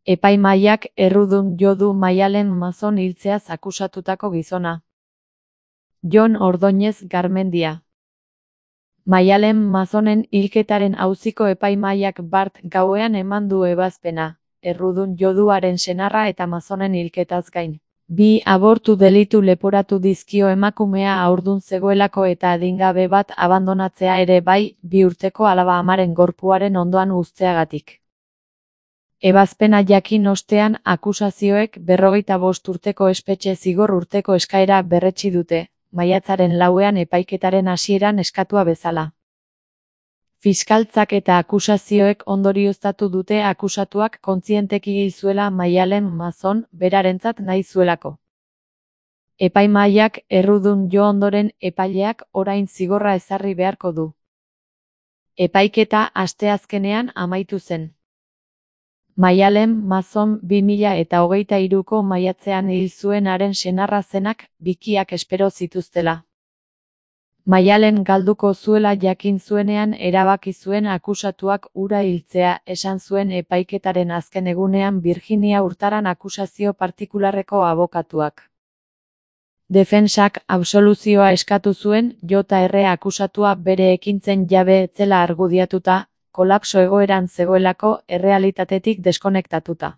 Epaimahaiak errudun jo du Maialen Mazon hiltzeaz akusatutako gizona. Jon Ordóñez Garmendia. Maialen Mazonen hilketaren auziko epaimahaiak bart gauean eman du ebazpena, errudun joduaren senarra eta Mazonen hilketaz gain. 2 abortu delitu leporatu dizkio emakumea haurdun zegoelako eta adingabe bat abandonatzea ere bai, 2 urteko alaba amaren gorpuaren ondoan uzteagatik. Ebazpena jakin ostean akusazioek 45 urteko espetxe zigor urteko eskaera berretsi dute, maiatzaren 4ean epaiketaren hasieran eskatua bezala. Fiskaltzak eta akusazioek ondorioztatu dute akusatuak kontzienteki hil zuela Maialen Mazon berarentzat nahi zuelako. Epaimahaiak errudun jo ondoren epaileak orain zigorra ezarri beharko du. Epaiketa asteazkenean amaitu zen. Maialen Mazon 2023ko maiatzean hil zuenaren senarra zenak bikiak espero zituztela. Maialen galduko zuela jakin zuenean erabaki zuen akusatuak hura hiltzea, esan zuen epaiketaren azken egunean Virginia Hurtaran akusazio partikularreko abokatuak. Defentsak absoluzioa eskatu zuen, Jr. akusatua bere ekintzen jabe ez zela argudiatuta, kolapso egoeran zegoelako errealitatetik deskonektatuta.